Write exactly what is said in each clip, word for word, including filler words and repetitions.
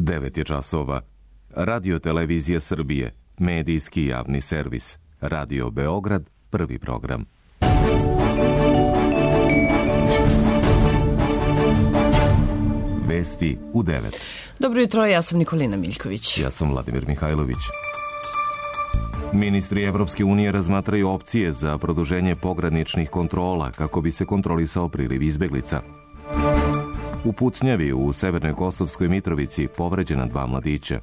devet je časova. Radio Televizija Srbije, medijski javni servis. Radio Beograd, prvi program. Vesti u devet. Dobro jutro, ja sam Nikolina Miljković. Ja sam Vladimir Mihajlović. Ministri Evropske unije razmatraju opcije za produženje pograničnih kontrola kako bi se kontrolisao priliv izbeglica. U pucnjavi u Severnoj Kosovskoj Mitrovici povređena dva mladića.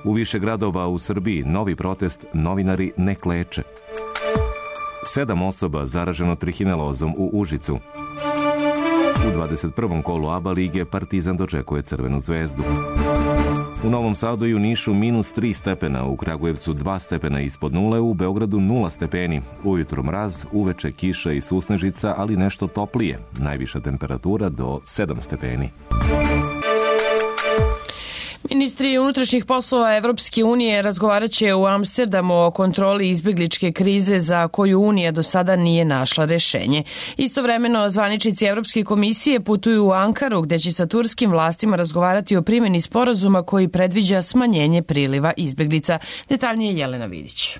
U više gradova u Srbiji novi protest Novinari ne kleče. Sedam osoba zaraženo trihinelozom u Užicu. U dvadeset prvom kolu A B A lige Partizan dočekuje Crvenu zvezdu. U Novom Sadu i u Nišu minus tri stepena, u Kragujevcu dva stepena ispod nule, u Beogradu nula stepeni. Ujutro mraz, uveče kiša i susnežica, ali nešto toplije. Najviša temperatura do sedam stepeni. Ministri unutrašnjih poslova Evropske unije razgovarat će u Amsterdamu o kontroli izbegličke krize za koju Unija do sada nije našla rešenje. Istovremeno, zvaničnici Evropske komisije putuju u Ankaru, gde će sa turskim vlastima razgovarati o primjeni sporazuma koji predviđa smanjenje priliva izbeglica. Detaljnije Jelena Vidić.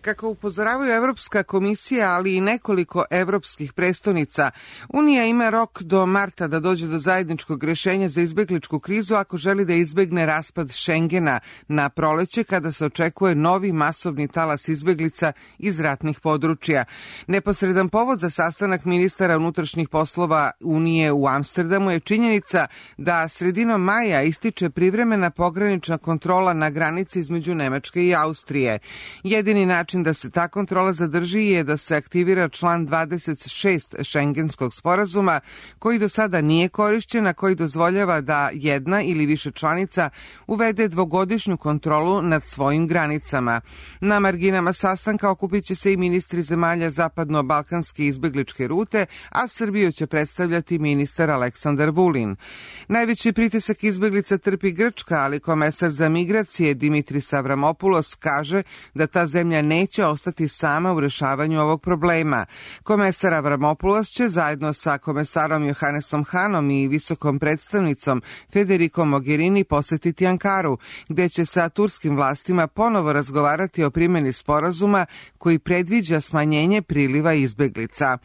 Kako upozoravaju Evropska komisija, ali i nekoliko evropskih prestonica, Unija ima rok do marta da dođe do zajedničkog rešenja za izbegličku krizu ako želi da izbegne raspad Šengena na proleće, kada se očekuje novi masovni talas izbeglica iz ratnih područja. Neposredan povod za sastanak ministara unutrašnjih poslova Unije u Amsterdamu je činjenica da sredinom maja ističe privremena pogranična kontrola na granici između Nemačke i Austrije. Jedini način da se ta kontrola zadrži je da se aktivira član dvadeset šest Šengenskog sporazuma, koji do sada nije korišćen, a koji dozvoljava da jedna ili više članica uvede dvogodišnju kontrolu nad svojim granicama. Na marginama sastanka okupit će se i ministri zemalja zapadno-balkanske izbegličke rute, a Srbiju će predstavljati ministar Aleksandar Vulin. Najveći pritisak izbeglica trpi Grčka, ali komesar za migracije Dimitris Avramopoulos kaže da ta zemlja neće ostati sama u rešavanju ovog problema. Komesar Avramopoulos će zajedno sa komesarom Johannesom Hanom i visokom predstavnicom Federikom Mogherini posetiti Ankaru, gde će sa turskim vlastima ponovo razgovarati o primjeni sporazuma koji predviđa smanjenje priliva izbeglica.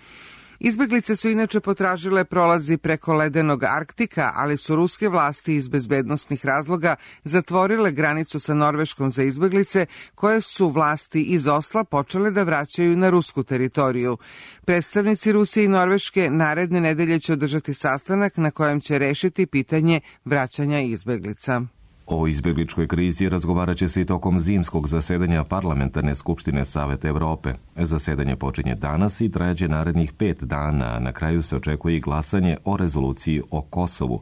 Izbeglice su inače potražile prolazi preko ledenog Arktika, ali su ruske vlasti iz bezbednostnih razloga zatvorile granicu sa Norveškom za izbeglice, koje su vlasti iz Osla počele da vraćaju na rusku teritoriju. Predstavnici Rusije i Norveške naredne nedelje će održati sastanak na kojem će rešiti pitanje vraćanja izbeglica. O izbegličkoj krizi razgovarat će se i tokom zimskog zasedanja Parlamentarne skupštine Saveta Evrope. Zasedanje počinje danas i trajaće narednih pet dana, a na kraju se očekuje i glasanje o rezoluciji o Kosovu.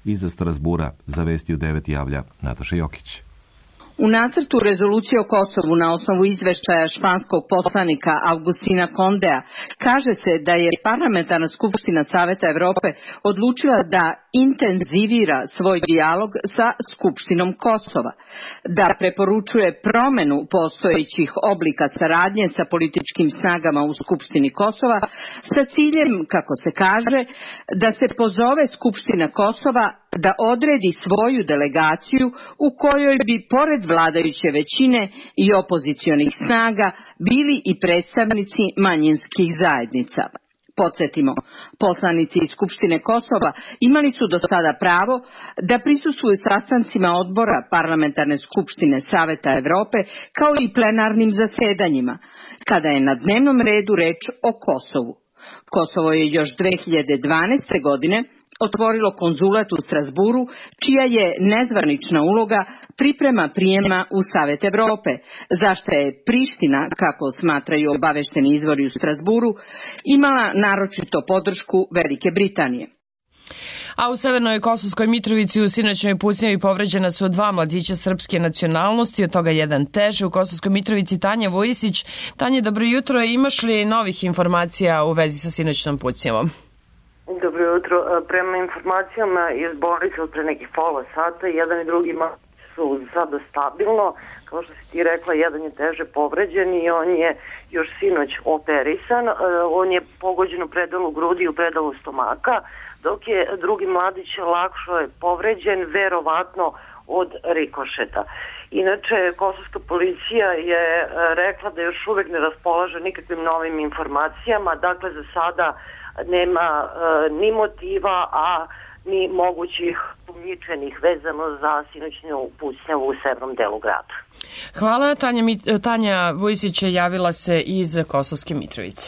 Iza Strasbura za Vesti u devet javlja Nataša Jokić. U nacrtu rezolucije o Kosovu na osnovu izveštaja španskog poslanika Augustina Kondea kaže se da je Parlamentarna skupština Saveta Evrope odlučila da intenzivira svoj dijalog sa Skupštinom Kosova, da preporučuje promenu postojećih oblika saradnje sa političkim snagama u Skupštini Kosova sa ciljem, kako se kaže, da se pozove Skupština Kosova da odredi svoju delegaciju u kojoj bi pored vladajuće većine i opozicionih snaga bili i predstavnici manjinskih zajednica. Podsjetimo, poslanici iz Skupštine Kosova imali su do sada pravo da prisustvuju sastancima odbora Parlamentarne skupštine Saveta Evrope kao i plenarnim zasedanjima, kada je na dnevnom redu reč o Kosovu. Kosovo je još dve hiljade dvanaeste. godine otvorilo konzulat u Strasburu, čija je nezvanična uloga priprema prijema u Savet Evrope, zašto je Priština, kako smatraju obavešteni izvori u Strasburu, imala naročito podršku Velike Britanije. A u Severnoj Kosovskoj Mitrovici u sinoćnoj pucnjavi povređena su dva mladića srpske nacionalnosti, od toga jedan teže. U Kosovskoj Mitrovici Tanja Vujisić. Tanja, dobro jutro. Imaš li novih informacija u vezi sa sinoćnom pucnjavom? Dobro jutro. Prema informacijama iz bolnice od pre nekih pola sata, jedan i drugi su sada stabilno. Kao što si ti rekla, jedan je teže povređen i on je još sinoć operisan. On je pogođen u predalu grudi i u predalu stomaka, dok je drugi mladić lakšo je povređen, verovatno od rikošeta. Inače, kosovska policija je rekla da još uvek ne raspolaže nikakvim novim informacijama, dakle za sada nema e, ni motiva, a ni mogućih pomničenih vezano za sinoćnju pucnjavu u severnom delu grada. Hvala. Tanja, Tanja Vujsić je javila se iz Kosovske Mitrovice.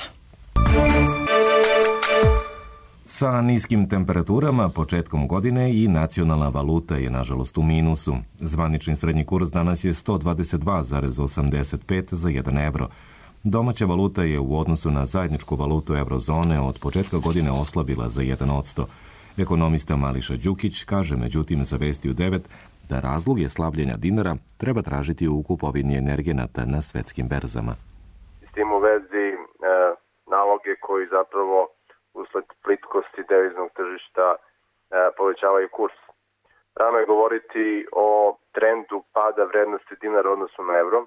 Sa niskim temperaturama početkom godine i nacionalna valuta je nažalost u minusu. Zvanični srednji kurs danas je sto dvadeset dva zarez osamdeset pet za jedan evro. Domaća valuta je u odnosu na zajedničku valutu eurozone od početka godine oslabila za jedan odsto. Ekonomista Mališa Đukić kaže međutim za Vesti u devet da razloge slabljenja dinara treba tražiti u kupovini energenata na svetskim berzama. S tim u vezi e, naloge koji zapravo usled plitkosti deviznog tržišta e, povećavaju kurs. Rano je govoriti o trendu pada vrednosti dinara u odnosu na evro.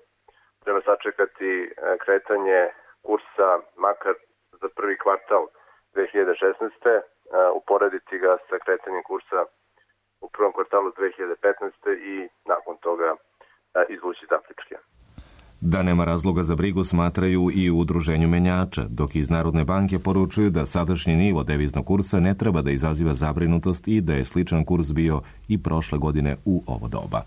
Treba sačekati e, kretanje kursa makar za prvi kvartal dve hiljade šesnaeste. E, uporediti ga sa kretanjem kursa u prvom kvartalu dve hiljade petnaeste. i nakon toga e, izvući zaključke. Da nema razloga za brigu smatraju i u udruženju menjača, dok iz Narodne banke poručuju da sadašnji nivo deviznog kursa ne treba da izaziva zabrinutost i da je sličan kurs bio i prošle godine u ovo doba.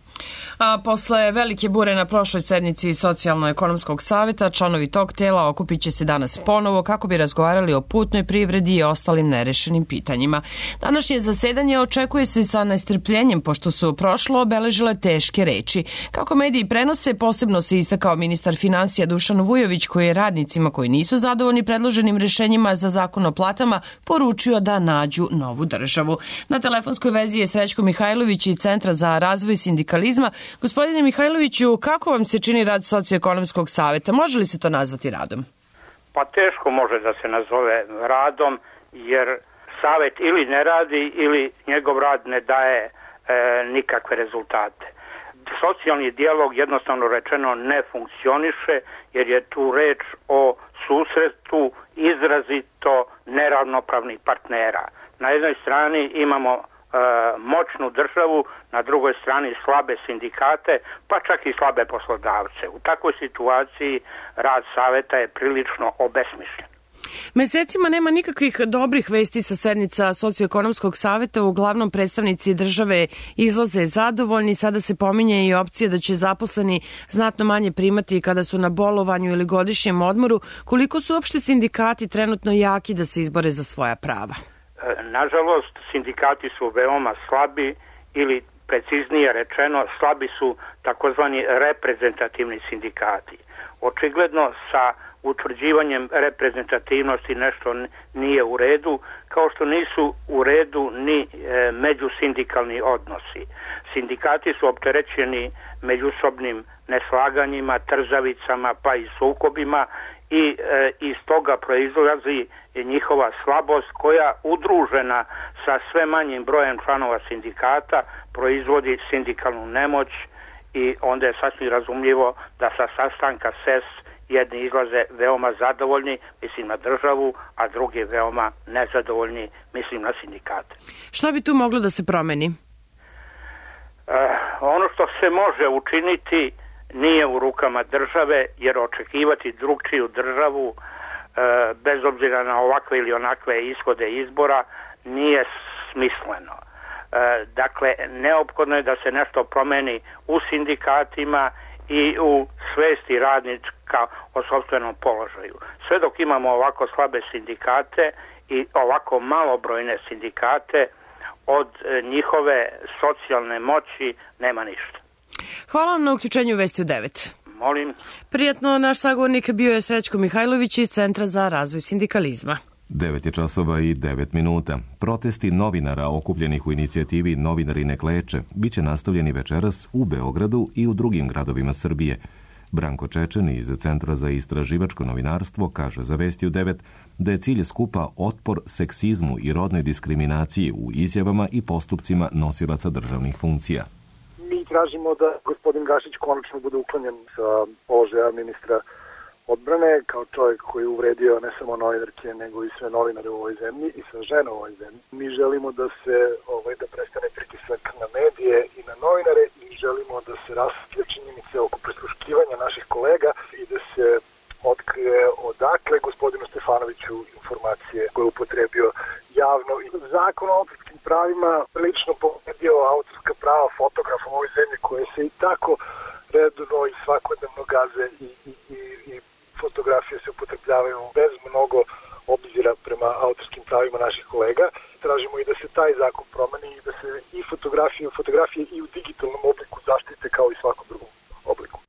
A posle velike bure na prošloj sednici Socijalno-ekonomskog saveta, članovi tog tela okupit će se danas ponovo kako bi razgovarali o putnoj privredi i ostalim nerešenim pitanjima. Današnje zasedanje očekuje se sa nestrpljenjem, pošto su prošlo obeležile teške reči. Kako mediji prenose, posebno se istakao ministar finansija Dušan Vujović, koji je radnicima koji nisu zadovoljni predloženim rešenjima za zakon o platama poručio da nađu novu državu. Na telefonskoj vezi je Srećko Mihajlović iz Centra za razvoj sindikalizma. Gospodine Mihajloviću, kako vam se čini rad Socioekonomskog saveta? Može li se to nazvati radom? Pa teško može da se nazove radom, jer savet ili ne radi ili njegov rad ne daje e, nikakve rezultate. Socijalni dijalog jednostavno rečeno ne funkcioniše, jer je tu reč o susretu izrazito neravnopravnih partnera. Na jednoj strani imamo e, moćnu državu, na drugoj strani slabe sindikate, pa čak i slabe poslodavce. U takvoj situaciji rad saveta je prilično obesmišljen. Mesecima nema nikakvih dobrih vesti sa sednica Socioekonomskog saveta. Uglavnom predstavnici države izlaze zadovoljni. Sada se pominje i opcija da će zaposleni znatno manje primati kada su na bolovanju ili godišnjem odmoru. Koliko su uopšte sindikati trenutno jaki da se izbore za svoja prava? Nažalost, sindikati su veoma slabi ili preciznije rečeno slabi su takozvani reprezentativni sindikati. Očigledno sa utvrđivanjem reprezentativnosti nešto nije u redu, kao što nisu u redu ni e, međusindikalni odnosi. Sindikati su opterećeni međusobnim neslaganjima, trzavicama pa i sukobima i e, iz toga proizlazi njihova slabost koja udružena sa sve manjim brojem članova sindikata proizvodi sindikalnu nemoć i onda je sasvim razumljivo da sa sastanka S E S jedni izlaze veoma zadovoljni, mislim na državu, a drugi veoma nezadovoljni, mislim na sindikate. Šta bi tu moglo da se promeni? E, ono što se može učiniti nije u rukama države, jer očekivati drugčiju državu, e, bez obzira na ovakve ili onakve ishode izbora, nije smisleno. E, dakle, neophodno je da se nešto promeni u sindikatima i u svesti radnička o sopstvenom položaju. Sve dok imamo ovako slabe sindikate i ovako malobrojne sindikate, od njihove socijalne moći nema ništa. Hvala vam na uključenju Vesti u devet. Molim. Prijatno, naš sagovornik bio je Srećko Mihajlović iz Centra za razvoj sindikalizma. devet je časova i devet minuta. Protesti novinara okupljenih u inicijativi Novinari ne kleče biće nastavljeni večeras u Beogradu i u drugim gradovima Srbije. Branko Čečen iz Centra za istraživačko novinarstvo kaže za Vesti u devet da je cilj skupa otpor seksizmu i rodnoj diskriminaciji u izjavama i postupcima nosilaca državnih funkcija. Mi tražimo da gospodin Gašić konačno bude uklonjen sa položaja ministra odbrane, kao čovjek koji je uvredio ne samo novinarke, nego i sve novinare u ovoj zemlji i sve žene u ovoj zemlji. Mi želimo da se ovaj, da prestane pritisak na medije i na novinare i želimo da se rasvjetlje činjenice oko prisluškivanja naših kolega i da se otkrije odakle gospodinu Stefanoviću informacije koje je upotrebio javno. Zakon o autorskim pravima prilično povredio autorska prava fotografa u ovoj zemlji koje se i tako redovno i svakodnevno gaze i, i, i, i fotografije se upotrebljavaju bez mnogo obzira prema autorskim pravima naših kolega. Tražimo i da se taj zakon promeni i da se i fotografije, fotografije i u digitalnom obliku zaštite kao i svakom drugom obliku.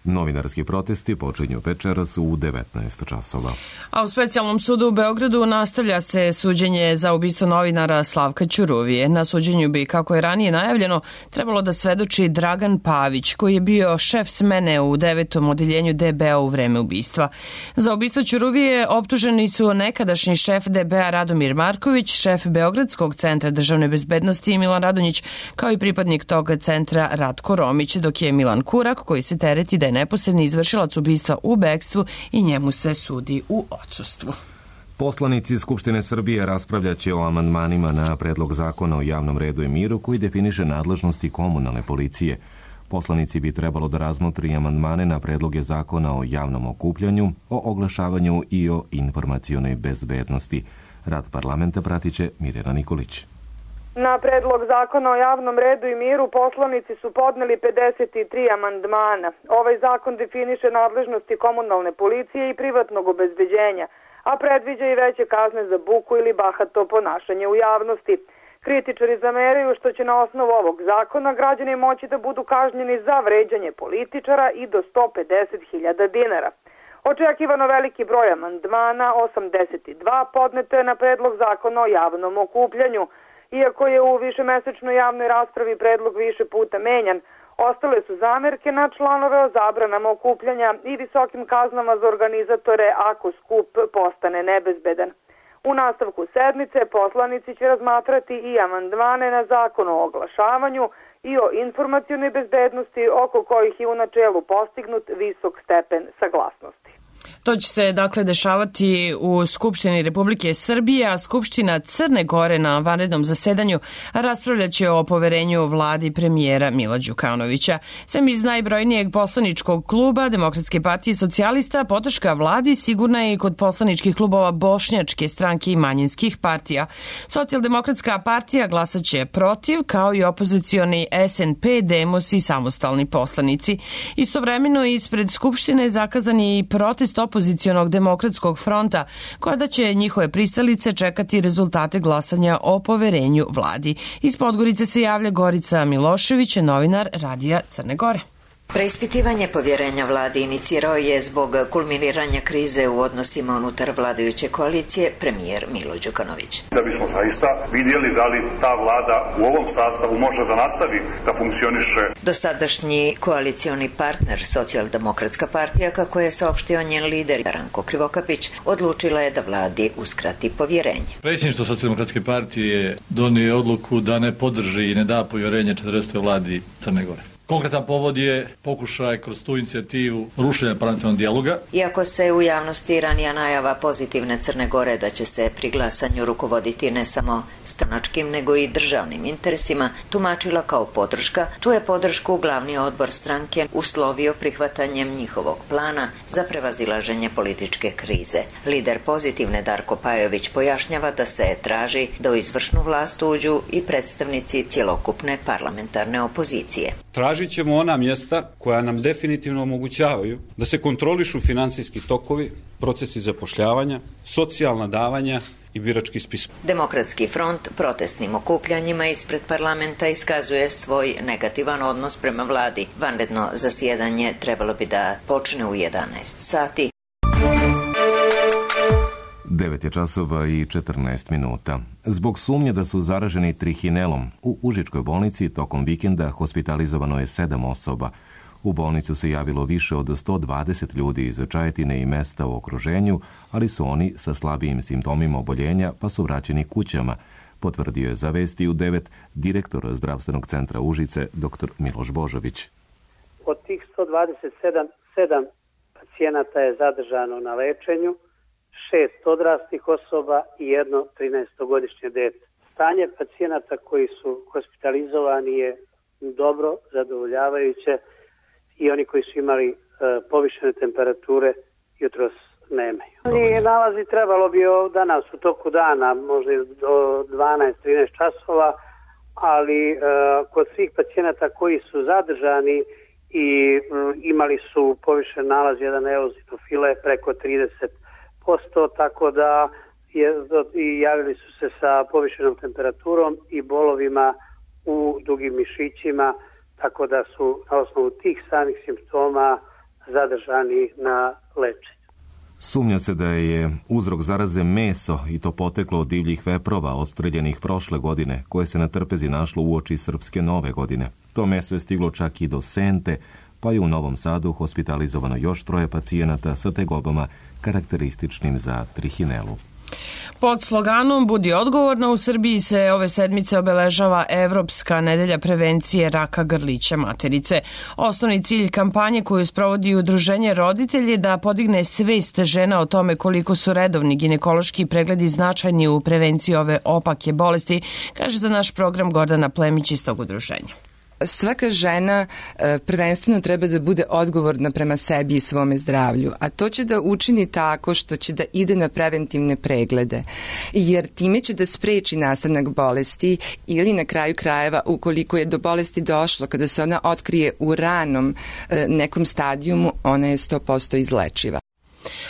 Novinarski protesti počinju večeras u devetnaest časova. A u specijalnom sudu u Beogradu nastavlja se suđenje za ubistvo novinara Slavka Ćuruvije. Na suđenju bi, kako je ranije najavljeno, trebalo da svedoči Dragan Pavić, koji je bio šef smene u devetom odeljenju D B-a u vreme ubistva. Za ubistvo Ćuruvije optuženi su nekadašnji šef D B-a Radomir Marković, šef Beogradskog centra državne bezbednosti Milan Radonjić, kao i pripadnik tog centra Ratko Romić, dok je Milan Kurak, koji se tereti da je neposredni izvršilac ubistva u bekstvu i njemu se sudi u odsustvu. Poslanici Skupštine Srbije raspravljaće o amandmanima na predlog zakona o javnom redu i miru koji definiše nadležnosti komunalne policije. Poslanici bi trebalo da razmotri amandmane na predloge zakona o javnom okupljanju, o oglašavanju i o informacionoj bezbednosti. Rad parlamenta pratiće Mirjana Nikolić. Na predlog zakona o javnom redu i miru poslanici su podneli pedeset tri amandmana. Ovaj zakon definiše nadležnosti komunalne policije i privatnog obezbeđenja, a predviđa i veće kazne za buku ili bahato ponašanje u javnosti. Kritičari zameraju što će na osnovu ovog zakona građani moći da budu kažnjeni za vređanje političara i do sto pedeset hiljada dinara. Očekivano veliki broj amandmana, osamdeset dva, podneto je na predlog zakona o javnom okupljanju. Iako je u višemesečnoj javnoj raspravi predlog više puta menjan, ostale su zamerke na članove o zabranama okupljanja i visokim kaznama za organizatore ako skup postane nebezbedan. U nastavku sednice poslanici će razmatrati i amandmane na zakon o oglašavanju i o informacionoj bezbednosti, oko kojih je u načelu postignut visok stepen saglasnosti. To će se dakle dešavati u Skupštini Republike Srbije, a Skupština Crne Gore na vanrednom zasedanju raspravljaće o poverenju vladi premijera Mila Đukanovića. Sem iz najbrojnijeg poslaničkog kluba Demokratske partije socijalista, podrška vladi sigurna je i kod poslaničkih klubova Bošnjačke stranke i manjinskih partija. Socijaldemokratska partija glasaće protiv, kao i opozicioni S N P, Demos i samostalni poslanici. Istovremeno ispred Skupštine je zakazan i protest opozicionog demokratskog fronta, koja da će njihove pristalice čekati rezultate glasanja o poverenju vladi. Iz Podgorice se javlja Gorica Milošević, novinar Radija Crne Gore. Preispitivanje povjerenja vladi inicirao je zbog kulminiranja krize u odnosima unutar vladajuće koalicije premijer Milo Đukanović. Da bismo zaista vidjeli da li ta vlada u ovom sastavu može da nastavi da funkcioniše. Dosadašnji koalicioni partner Socijaldemokratska partija, kako je saopštio njen lider Ranko Krivokapić, odlučila je da vladi uskrati povjerenje. Predsjedništvo Socijaldemokratske partije donio odluku da ne podrži i ne da povjerenje četrdesetoj vladi Crne Gore. Konkretan povod je pokušaj kroz tu inicijativu rušenja parlamentarnog dijaloga. Iako se u javnosti ranija najava pozitivne Crne Gore da će se pri glasanju rukovoditi ne samo stranačkim nego i državnim interesima tumačila kao podrška, tu je podršku glavni odbor stranke uslovio prihvatanjem njihovog plana za prevazilaženje političke krize. Lider pozitivne Darko Pajović pojašnjava da se traži da u izvršnu vlast uđu i predstavnici cjelokupne parlamentarne opozicije. Tražit ćemo ona mjesta koja nam definitivno omogućavaju da se kontrolišu finansijski tokovi, procesi zapošljavanja, socijalna davanja i birački spisak. Demokratski front protestnim okupljanjima ispred parlamenta iskazuje svoj negativan odnos prema vladi. Vanredno zasjedanje trebalo bi da počne u jedanaest sati. devet je časova i četrnaest minuta. Zbog sumnje da su zaraženi trihinelom, u Užičkoj bolnici tokom vikenda hospitalizovano je sedam osoba. U bolnicu se javilo više od sto dvadeset ljudi iz Čajetine i mesta u okruženju, ali su oni sa slabijim simptomima oboljenja pa su vraćeni kućama, potvrdio je za Vesti u devet direktor zdravstvenog centra Užice dr. Miloš Božović. Od tih sto dvadeset sedam, sedam pacijenata je zadržano na lečenju, šest odraslih osoba i jedno trinaestogodišnje dete. Stanje pacijenata koji su hospitalizovani je dobro, zadovoljavajuće i oni koji su imali e, povišene temperature jutros nemaju. I nalazi trebalo bi danas u toku dana, možda do dvanaest trinaest časova, ali e, kod svih pacijenata koji su zadržani i m, imali su povišen nalaz jedan eozinofile preko trideset posto, tako da je, i javili su se sa povišenom temperaturom i bolovima u dugim mišićima, tako da su na osnovu tih samih simptoma zadržani na lečenju. Sumnja se da je uzrok zaraze meso i to poteklo od divljih veprova odstreljenih prošle godine, koje se na trpezi našlo uoči srpske nove godine. To meso je stiglo čak i do Sente, pa je u Novom Sadu hospitalizovano još troje pacijenata sa tegobama karakterističnim za trihinelu. Pod sloganom Budi odgovorna u Srbiji se ove sedmice obeležava Evropska nedelja prevencije raka grlića materice. Osnovni cilj kampanje koju sprovodi Udruženje Roditelji je da podigne svest žena o tome koliko su redovni ginekološki pregledi značajni u prevenciji ove opake bolesti, kaže za naš program Gordana Plemić iz tog udruženja. Svaka žena prvenstveno treba da bude odgovorna prema sebi i svome zdravlju, a to će da učini tako što će da ide na preventivne preglede, jer time će da spreči nastanak bolesti ili na kraju krajeva ukoliko je do bolesti došlo, kada se ona otkrije u ranom nekom stadijumu, ona je sto posto izlečiva.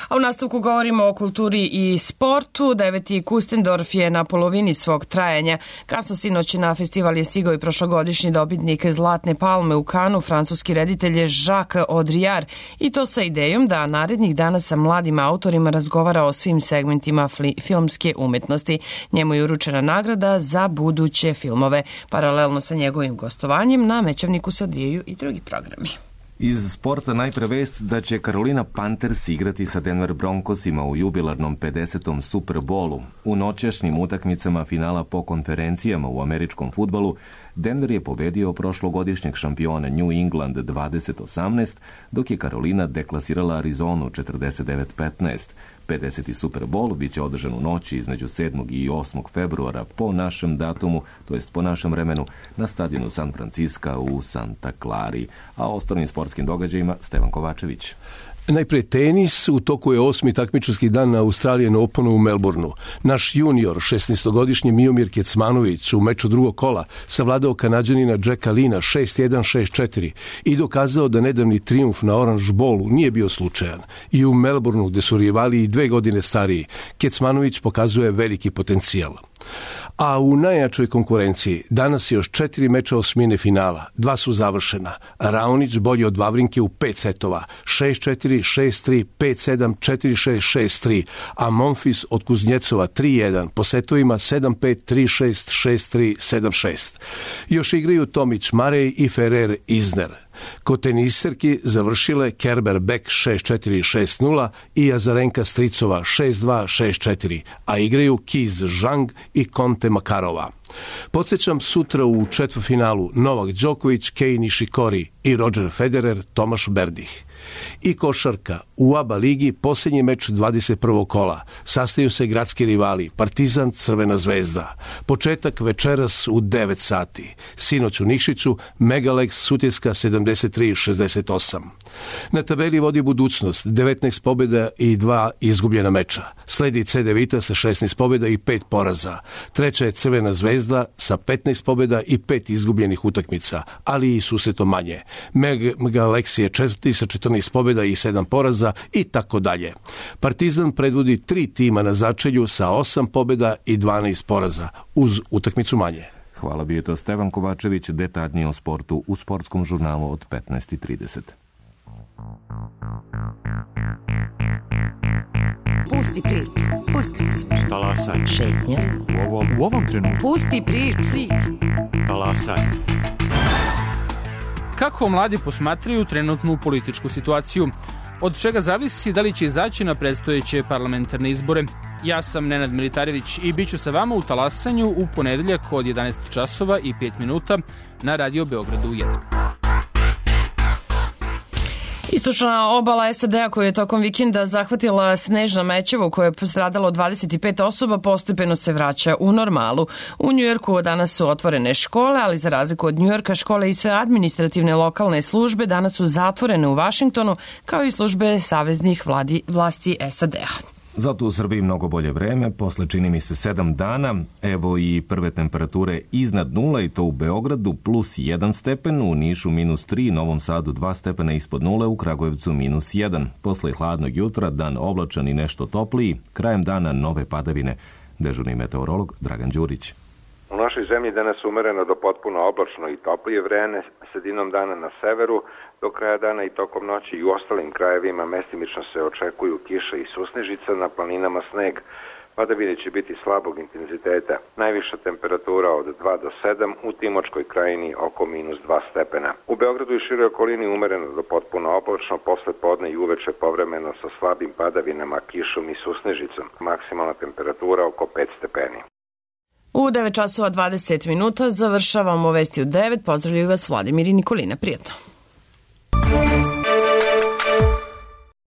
A u nastavku govorimo o kulturi i sportu. Deveti Kustendorf je na polovini svog trajanja. Kasno sinoć na festival je stigao i prošlogodišnji dobitnik Zlatne palme u Kanu, francuski reditelj Jacques Audiard, i to sa idejom da narednih dana sa mladim autorima razgovara o svim segmentima filmske umetnosti. Njemu je uručena nagrada za buduće filmove. Paralelno sa njegovim gostovanjem na Mećavniku se odvijaju i drugi programi. Iz sporta najpre vest da će Carolina Panthers igrati sa Denver Broncosima u jubilarnom pedesetom Super Bowlu. U noćašnjim utakmicama finala po konferencijama u američkom fudbalu Denver je pobedio prošlogodišnjeg šampiona New England dvadeset osamnaest, dok je Carolina deklasirala Arizonu četrdeset devet petnaest. pedeseti Super Bowl biće održan u noći između sedmog i osmog februara po našem datumu, to jest po našem vremenu, na stadionu San Francisco u Santa Clari. A o ostalim sportskim događajima Stevan Kovačević. Najpre tenis, u toku je osmi takmičarski dan na Australian Openu u Melbourneu. Naš junior, šesnaestogodišnji Miomir Kecmanović, u meču drugog kola savladao Kanađanina Jacka Lina šest jedan šest četiri i dokazao da nedavni trijumf na Orange Bowlu nije bio slučajan. I u Melbourneu, gde su rivali i dve godine stariji, Kecmanović pokazuje veliki potencijal. A u najjačoj konkurenciji danas je još četiri meča osmine finala. Dva su završena. Raonić bolji od Vavrinke u pet setova. šest četiri, šest tri, pet sedam, četiri šest, šest tri. A Monfils od Kuznjecova tri jedan. Po setovima sedam pet, tri šest, šest tri, sedam šest. Još igraju Tomić Marej i Ferrer Isner. Kod teniserki završile Kerber Beck šest četiri, šest nula i Azarenka Stricova šest dva, šest četiri, a igraju Kiz Zhang i Conte Makarova. Podsjećam, sutra u četvrtfinalu Novak Đoković, Kei Nishikori i Roger Federer, Tomaš Berdih. I košarka. U A B A ligi posljednji meč dvadeset prvog kola. Sastaju se gradski rivali Partizan, Crvena zvezda. Početak večeras u devet sati. Sinoć u Nikšiću Megalex Sutjeska sedamdeset tri šezdeset osam. Na tabeli vodi Budućnost, devetnaest pobjeda i dva izgubljena meča. Sledi C D Vita sa šesnaest pobjeda i pet poraza. Treća je Crvena zvezda sa petnaest pobjeda i pet izgubljenih utakmica, ali i susreto manje. Megalex je četvrti sa četrnaest pobjeda i sedam poraza i tako dalje. Partizan predvodi tri tima na začelju sa osam pobjeda i dvanaest poraza, uz utakmicu manje. Hvala, bio je to Stevan Kovačević, detaljnije o sportu u sportskom žurnalu od petnaest trideset. Pusti priču, pusti priču. Talasaj. Šetnja. U ovom, u ovom trenutku. Pusti priču. priču. Talasaj. Kako mladi posmatraju trenutnu političku situaciju? Od čega zavisi da li će izaći na predstojeće parlamentarne izbore? Ja sam Nenad Militarević i bit ću sa vama u Talasanju u ponedeljak od jedanaest časova i pet minuta na Radio Beogradu jedan. Istočna obala S A D-a koja je tokom vikenda zahvatila snežna mećava u kojoj je postradalo dvadeset pet osoba postepeno se vraća u normalu. U Njujorku danas su otvorene škole, ali za razliku od Njujorka škole i sve administrativne lokalne službe danas su zatvorene u Vašingtonu kao i službe saveznih vladi, vlasti S A D-a. Zato u Srbiji mnogo bolje vreme, posle čini mi se sedam dana, evo i prve temperature iznad nula i to u Beogradu plus jedan stepen, u Nišu minus tri, Novom Sadu dva stepena ispod nule, u Kragujevcu minus jedan. Posle hladnog jutra dan oblačan i nešto topliji, krajem dana nove padavine. Dežurni meteorolog Dragan Đurić. U našoj zemlji danas umereno do potpuno oblačno i toplije vreme, sredinom dana na severu, do kraja dana i tokom noći i u ostalim krajevima mestimično se očekuju kiša i susnežica, na planinama sneg. Padavine će biti slabog intenziteta. Najviša temperatura od dva do sedam, u Timočkoj krajini oko minus dva stepena. U Beogradu i široj okolini umereno do potpuno oblačno, posle podne i uveče povremeno sa slabim padavinama, kišom i susnežicom. Maksimalna temperatura oko pet stepeni. U devet časova dvadeset minuta završavamo vesti u devet. Pozdravljaju vas Vladimir i Nikolina. Prijetno.